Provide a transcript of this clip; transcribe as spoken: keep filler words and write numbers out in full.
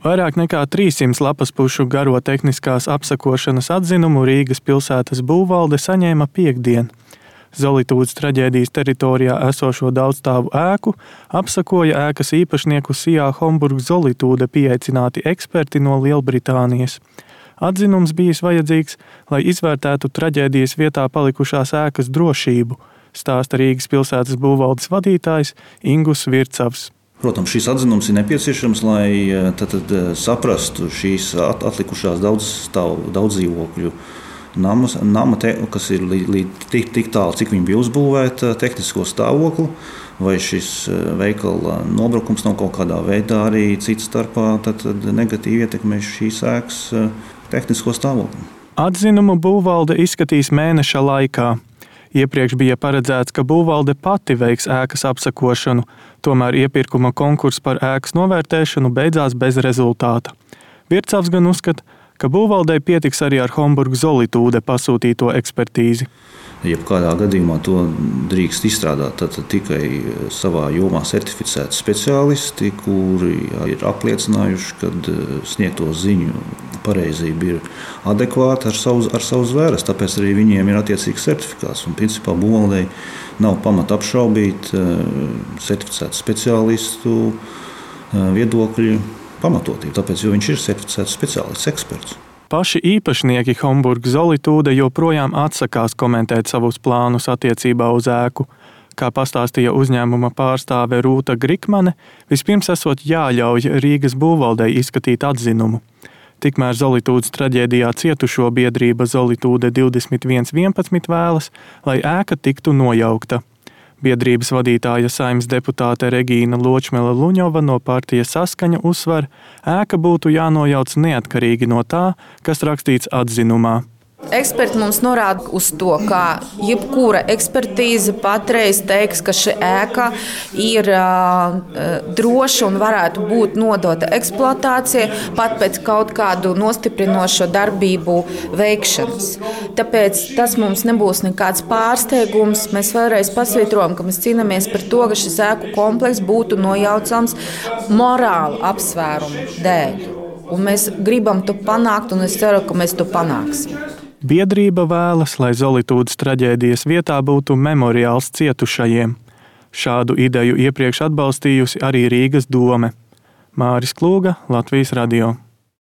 Vairāk nekā trīssimts lapaspušu garo tehniskās apsakošanas atzinumu Rīgas pilsētas būvvalde saņēma piektdien. Zolitūdes traģēdijas teritorijā esošo daudzstāvu ēku apsakoja ēkas īpašnieku Sijā Homburg Zolitūde pieaicināti eksperti no Lielbritānijas. Atzinums bijis vajadzīgs, lai izvērtētu traģēdijas vietā palikušās ēkas drošību, stāsta Rīgas pilsētas būvvaldes vadītājs Ingus Vircavs. Protams, šis atzinums ir nepieciešams, lai tad, tad saprastu šīs atlikušās daudz stāvu, daudz dzīvokļu namas, nama, te, kas ir līdz li, tik, tik tālu, cik viņi bija uzbūvēta, tehnisko stāvokli, vai šis veikala nobrukums nav kaut kādā veidā arī cits starpā tad, tad negatīvi ietekmē šīs ēkas tehnisko stāvokli. Atzinumu būvvalde izskatīs mēneša laikā. Iepriekš bija paredzēts, ka būvvalde pati veiks ēkas apsakošanu, tomēr iepirkuma konkurss par ēkas novērtēšanu beidzās bez rezultāta. Vircavs gan uzskata, ka būvvaldei pietiks arī ar Homburg Zolitūde pasūtīto ekspertīzi. Jebkādā gadījumā to drīkst izstrādāt tad tikai savā jomā certificēti speciālisti, kuri ir apliecinājuši, ka sniegto ziņu pareizība ir adekvāta ar savu, ar savu zvēres, tāpēc arī viņiem ir attiecīgs certifikāts. Un, principā, būvvaldei nav pamata apšaubīt certificētu speciālistu viedokļu pamatotību, tāpēc, jo viņš ir certificēts speciālists, eksperts. Paši īpašnieki Homburg Zolitūde joprojām atsakās komentēt savus plānus attiecībā uz ēku. Kā pastāstīja uzņēmuma pārstāve Rūta Grikmane, vispirms esot jāļauj Rīgas būvvaldei izskatīt atzinumu. Tikmēr Zolitūdes traģēdijā cietušo biedrība Zolitūde divdesmit viens vienpadsmit vēlas, lai ēka tiktu nojaukta. Biedrības vadītāja Saeimas deputāte Regīna Ločmele-Luņova no partijas Saskaņa uzsver, ēka būtu jānojauc neatkarīgi no tā, kas rakstīts atzinumā. Eksperti mums norāda uz to, ka jebkura ekspertīze patreiz teiks, ka šī ēka ir uh, droša un varētu būt nodota eksploatācijai pat pēc kaut kādu nostiprinošo darbību veikšanas. Tāpēc tas mums nebūs nekāds pārsteigums. Mēs vēlreiz pasvītrojam, ka mēs cīnāmies par to, ka šis ēku komplekss būtu nojaucams morālu apsvērumu dēļ. Un mēs gribam to panākt, un es ceru, ka mēs to panāksim. Biedrība vēlas, lai Zolitūdes traģēdijas vietā būtu memoriāls cietušajiem. Šādu ideju iepriekš atbalstījusi arī Rīgas dome. Māris Klūga, Latvijas radio.